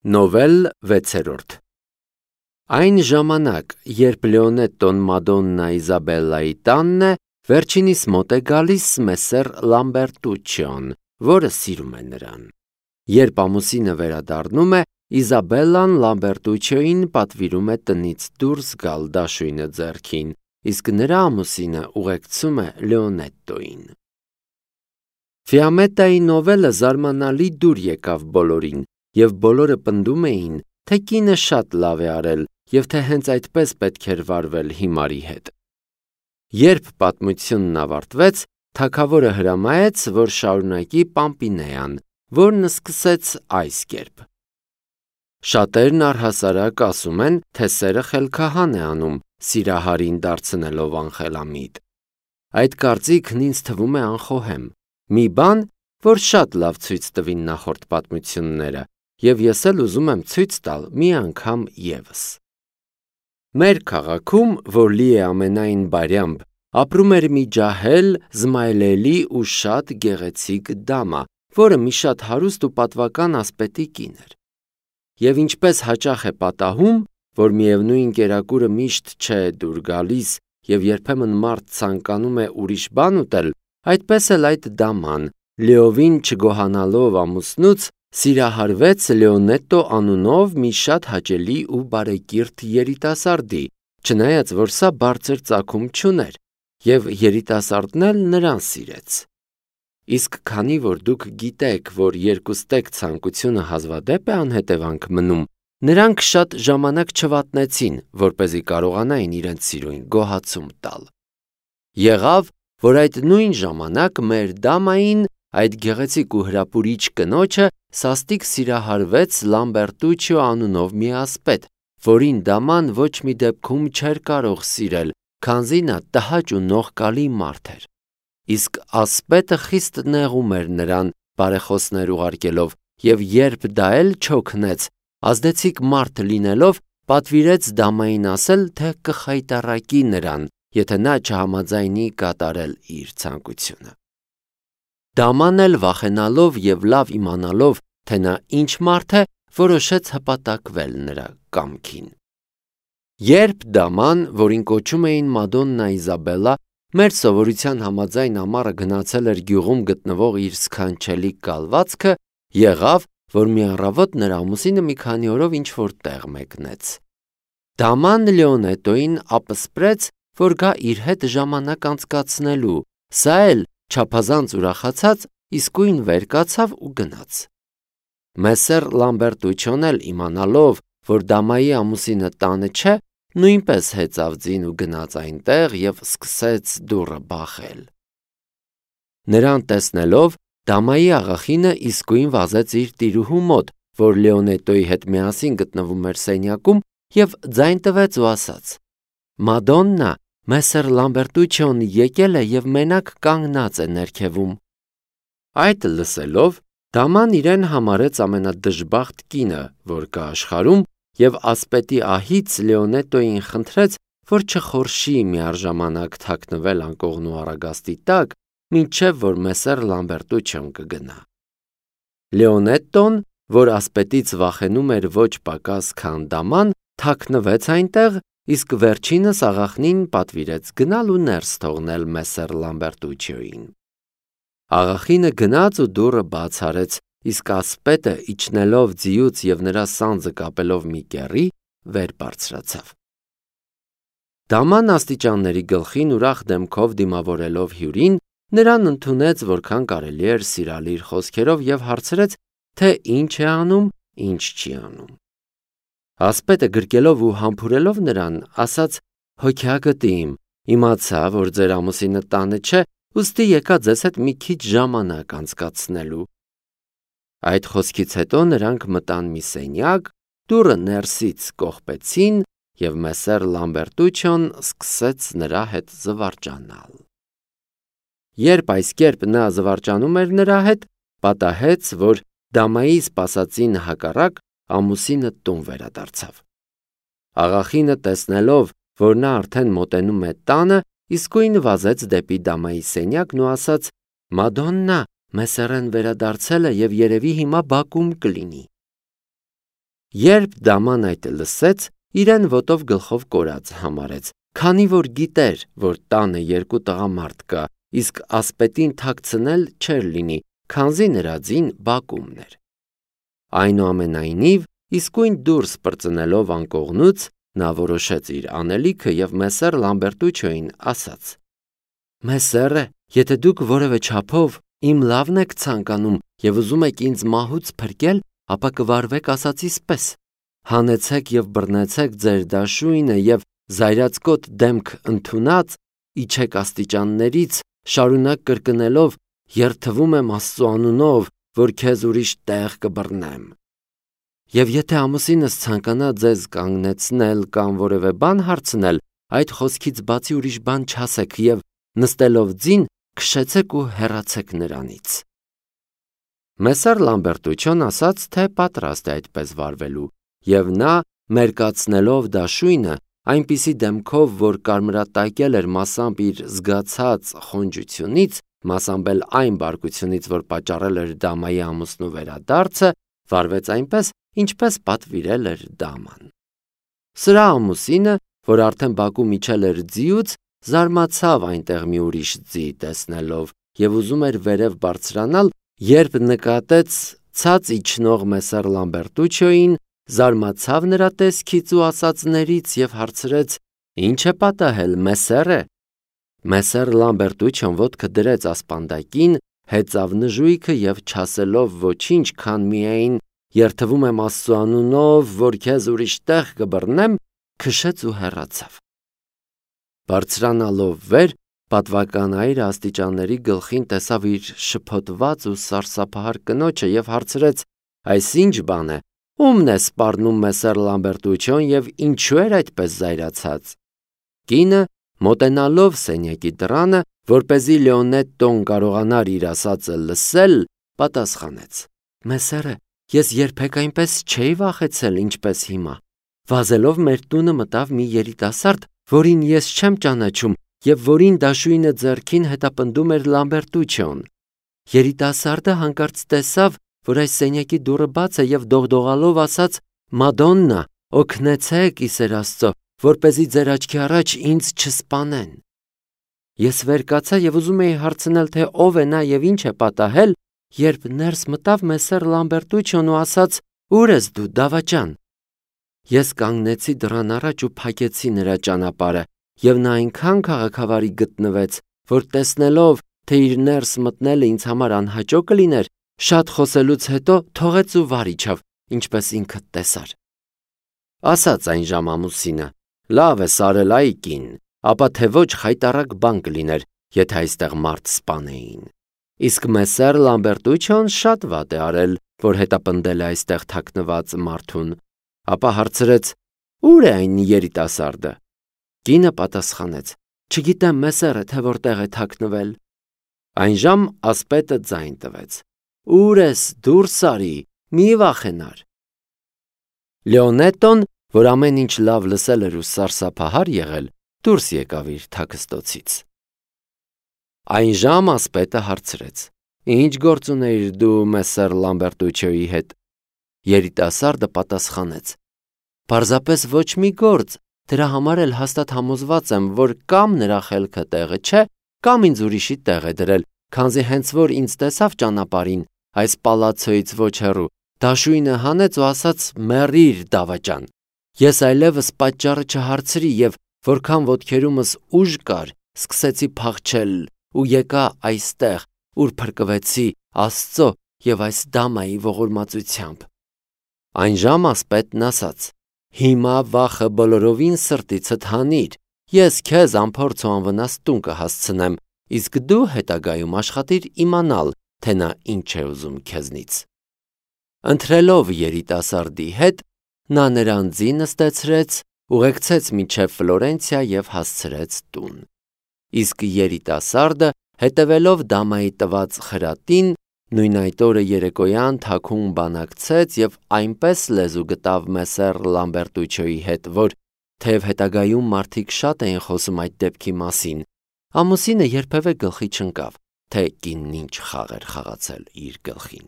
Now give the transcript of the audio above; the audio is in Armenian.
Նովել 6-րդ Այն ժամանակ, երբ Լեոնետտոն Մադոննա Իզաբելլայի տանն է, վերջինիս մոտ է գալիս Մեսսեր Լամբերտուչիոն, որը սիրում է նրան։ Երբ ամուսինը վերադառնում է, Իզաբելլան Լամբերտուչիոյին պատվիրում է տնից դուրս գալ դաշույնը ձեռքին, իսկ նրա ամուսինը ուղեկցում է Լեոնետտոյին։ Ֆիամետայի նովելը զարմանալի դուր եկավ բոլորին, և բոլորը պնդում էին, թե կինը շատ լավ է արել և թե հենց այդպես պետք էր վարվել հիմարի հետ։ Երբ պատմությունն ավարտվեց, թագավորը հրամայեց, որ շարունակի Պամպինեան, որն սկսեց այս կերպ. Շատերն առհասարակ ասում են, թե սերը խելքահան է անում, սիրահարին դարձնելով անխելամիտ։ Այդ կարծիքն ինձ թվում է անխոհեմ, մի բան, որ շատ լավ ցույց տվին նախորդ պատմությունները, և ես էլ ուզում եմ ցույց տալ մի անգամ ևս։ Մեր քաղաքում, որ լի է ամենայն բարյամբ, ապրում էր մի ջահել, զմայլելի ու շատ գեղեցիկ դամա, որը մի շատ հարուստ ու պատվական ասպետի կին էր։ Եվ ինչպես հաճախ է պատահում, որ միևնույն կերակուրը միշտ չէ դուր գալիս և երբեմն մարդ ցանկանում է ուրիշ բան ուտել, այդպես էլ այդ դաման, լիովին չգոհանալով ամուսնուց, սիրահարվեց Լեոնետտո անունով մի շատ հաճելի ու բարեկիրթ երիտասարդի, չնայած որ սա բարձր ծագում չուներ, և երիտասարդն էլ նրան սիրեց։ Իսկ քանի որ դուք գիտեք, որ երկուստեք ցանկությունը հազվադեպ է անհետևանք մնում, նրանք շատ ժամանակ չվատնեցին, որպեսզի կարողանային իրենց սիրուն գոհացում տալ։ Եղավ, որ այդ նույն ժամանակ մեր դամային, այդ գեղեցիկ ու հրապուրիչ կնոջը սաստիկ սիրահարվեց Լամբերտուչիո անունով մի ասպետ, որին դաման ոչ մի դեպքում չէր կարող սիրել, քանզի նա տհաճ ու նողկալի մարդ էր։ Իսկ ասպետը խիստ նեղում էր նրան, բարեխոսներ ուղարկելով, և երբ դա էլ չօգնեց, ազդեցիկ մարդ լինելով, պատվիրեց դամային ասել, թե կխայտառակի նրան, եթե նա չհամաձայնի կատարել իր ցանկությունը։ Դաման էլ վախենալով և լավ իմանալով, թե նա ինչ մարդ է, որոշեց հպատակվել նրա կամքին։ Երբ դաման, որին կոչում էին Մադոննա Իզաբելլա, մեր սովորության համաձայն ամառը գնացել էր գյուղում գտնվող իր սքանչելի կալվածքը, եղավ, որ մի առավոտ նրա ամուսինը մի քանի օրով ինչ-որ տեղ մեկնեց։ Դաման Լեոնետտոյին ապսպրեց, որ գա իր հետ ժամանակ անցկացնելու, սա էլ, չափազանց ուրախացած, իսկույն վեր կացավ ու գնաց։ Մեսսեր Լամբերտուչիոն էլ իմանալով, որ դամայի ամուսինը տանը չէ, նույնպես հեծավ ձին ու գնաց այնտեղ և սկսեց դուռը բախել։ Նրան տեսնելով, դամայի աղախինը իսկույն վազեց իր տիրուհու մոտ, որ Լեոնետտոյի հետ միասին գտնվում էր սենյակում, և ձայն տվեց ու ասաց. «Մադոննա, Մեսսեր Լամբերտուչիոն եկել է և մենակ կանգնած է ներքևում»։ Այդ լսելով, դաման իրեն համարեց ամենադժբախտ կինը, որ կա աշխարհում, և ասպետի ահից Լեոնետտոյին խնդրեց, որ չխորշի միառժամանակ թաքնվել անկողնու առագաստի տակ, մինչև որ Մեսսեր Լամբերտուչիոն կգնա։ Լեոնետտոն, որ ասպետից վախենում էր ոչ պակաս, քան դաման, թաքնվեց այնտեղ, իսկ վերջինս աղախնին պատվիրեց գնալ ու ներս թողնել Մեսսեր Լամբերտուչիոյին։ Աղախինը գնաց ու դուռը բաց արեց, իսկ ասպետը, իջնելով ձիուց և նրա սանձը կապելով մի կեռի, վեր բարձրացավ։ Դաման աստիճանների գլխին ուրախ դեմքով դիմավորելով հյուրին, նրան ընդունեց որքան կարելի էր սիրալիր խոսքերով և հարցրեց, թե ինչ է անում, ինչ չի անում։ Ասպետը գրկելով ու համբուրելով նրան, ասաց. «Հոգյակտի իմ, իմացա, որ ձեր ամուսինը տանը չէ, ուստի եկա ձեզ հետ մի քիչ ժամանակ անցկացնելու»։ Այդ խոսքից հետո նրանք մտան մի սենյակ, դուռը ներսից կողպեցին, և Մեսսեր Լամբերտուչիոն սկսեց նրա հետ զվարճանալ։ Երբ այս կերպ նա զվարճանում էր նրա հետ, պատահեց, որ դամայի սպասածին հակառակ ամուսինը տուն վերադարձավ։ Աղախինը տեսնելով, որ նա արդեն մոտենում է տանը, իսկույն վազեց դեպի դամայի սենյակն ու ասաց. «Մադոննա, Մեսսերեն վերադարձել է և երևի հիմա բակում կլինի»։ Երբ դաման այդ լսեց, իրեն ոտով գլխով կորած համարեց, քանի որ գիտեր, որ տանը երկու տղամարդ կա, իսկ ասպետին թաքցնել չէր լինի, քանզի նրա ձին բակումն էր։ Այնուամենայնիվ, իսկույն դուրս պրծնելով անկողնուց, նա որոշեց իր անելիքը և մեսեր Լամբերտուչոյին ասաց. «Մեսերը, եթե դուք որևէ չափով իմ լավն եք ցանկանում և ուզում եք ինձ մահուց փրկել, ապա կվարվեք ասածիս պես. հանեցեք և բռնեցեք ձեր դաշույնը և զայրացկոտ դեմք ընդունած, իջեք աստիճաններից, շարունակ կրկնելով. երդվում եմ Աստծու անունով, որ քեզ ուրիշ տեղ կբռնեմ։ Եվ եթե ամուսինս ցանկանա ձեզ կանգնեցնել կամ որևէ բան հարցնել, այդ խոսքից բացի ուրիշ բան չասեք և նստելով ձին, քշեցեք ու հեռացեք նրանից»։ Մեսեր Լամբերտուչոն ասաց, թե պատրաստ է այդպես վարվելու, և նա, մերկացնելով դաշույնը, այնպիսի դեմքով, որ կարմրատակել էր մասամբ իր զգացած խոնջությունից, մասամբ էլ այն բարկությունից, որ պատճառել էր դամայի ամուսնու վերադարձը, վարվեց այնպես, ինչպես պատվիրել էր դաման։ Սրա ամուսինը, որ արդեն բակում իջել էր ձիուց, զարմացավ այնտեղ մի ուրիշ ձի տեսնելով և ուզում էր վերև բարձրանալ, երբ նկատեց ցած իջնող մեսեր Լամբերտուչոյին, զարմացավ նրա տեսքից ու ասածներից և հարցրեց. «Ինչ է պատահել, մեսերը»։ Մեսեր Լամբերտուչոն ոտքը դրեց ասպանդակին, հեծավ նժույգը և չասելով ոչինչ, քան միայն «երդվում եմ Աստծու անունով, որ քեզ ուրիշ տեղ կբռնեմ», քշեց ու հեռացավ։ Բարձրանալով վեր, պատվական այրը աստիճանների գլխին տեսավ իր շփոթված ու սարսափահար կնոջը և հարցրեց. «Այս ինչ բան է, ո՞ւմն է սպառնում մեսեր Լամբերտուչոն և ինչու էր այդպես զայրացած»։ Կինը, մոտենալով սենյակի դռանը, որպեսզի Լեոնետտոն կարողանար իր ասածը լսել, պատասխանեց. «Մեսերը, ես երբեք այնպես չէի վախեցել, ինչպես հիմա։ Վազելով մեր տունը մտավ մի երիտասարդ, որին ես չեմ ճանաչում և որին դաշույնը ձեռքին հետապնդում էր Լամբերտուչոն։ Երիտասարդը հանկարծ տեսավ, որ այս սենյակի դուռը բաց է և դողդողալով ասաց. «Մադոննա, օգնեցեք, ի սեր Աստծո, որպեսզի ձեր աչքի առաջ ինձ չսպանեն»։ Ես վեր կացա և ուզում էի հարցնել, թե ով է նա և ինչ է պատահել, երբ ներս մտավ մեսեր Լամբերտուչոն ու ասաց. «Ո՞ւր ես դու, դավաճան»։ Ես կանգնեցի դռան առաջ ու փակեցի նրա ճանապարհը, և նա այնքան քաղաքավարի գտնվեց, որ տեսնելով, թե իր ներս մտնելը ինձ համար անհաճո կլիներ, շատ խոսելուց հետո թողեց ու վար իջավ, ինչպես ինքդ տեսար։ Ասաց այն ժամ ամուսինը. «Լավ ես արել, այ կին, ապա թե ոչ խայտառակ բան կլիներ, եթե այստեղ մարդ սպանեին»։ Իսկ մեսեր Լամբերտուչոն շատ վատ է արել, որ հետապնդել է այստեղ թաքնված մարդուն։ Ապա հարցրեց. «Ո՞ւր է այն երիտասարդը»։ Կինը պատասխանեց. «Չգիտեմ, մեսերը, թե որտեղ է թաքնվել»։ Այնժամ ասպետը ձայն տվեց. «Ո՞ւր ես, դուրս արի, մի վախենար»։ Լեոնետտոն, որ ամեն ինչ լավ լսել էր ու սարսափահար եղել, դուրս եկավ իր թաքստոցից։ Այնժամ ասպետը հարցրեց. «Ինչ գործ ունեիր դու մեսեր Լամբերտուչոյի հետ»։ Երիտասարդը պատասխանեց. «Պարզապես ոչ մի գործ, դրա համար էլ հաստատ համոզված եմ, որ կամ նրա խելքը տեղը չէ, կամ ինձ ուրիշի տեղ է դրել, քանզի հենց որ ինձ տեսավ ճանապարհին, այս պալացոյից ոչ հեռու, դաշույնը հանեց ու ասաց. «Մեռիր, դավաճան»։ Ես այլևս պատճառը չհարցրի և որքան ոտքերումս ուժ կար, սկսեցի փախչել ու եկա այստեղ, ուր փրկվեցի Աստծո և այս դամայի ողորմածությամբ»։ Այնժամ ասպետն ասաց. «Հիմա վախը բոլորովին սրտիցդ հանիր, ես քեզ անփորձ ու անվնաս տուն կհասցնեմ, իսկ դու հետագայում աշխատիր իմանալ, թե նա ինչ է ուզում քեզնից»։ Ընթրելով երիտասարդի հետ, նա նրան ձի նստեցրեց, ուղեկցեց մինչև Ֆլորենցիա և հասցրեց տուն։ Իսկ երիտասարդը, հետևելով դամայի տված խրատին, նույն այդ օրը երեկոյան թաքուն բանակցեց և այնպես լեզու գտավ մեսեր Լամբերտուչոյի հետ, որ թեև հետագայում մարդիկ շատ էին խոսում այդ դեպքի մասին, ամուսինը երբևէ գլխի չընկավ, թե կինն ինչ խաղ էր խաղացել իր գլխին։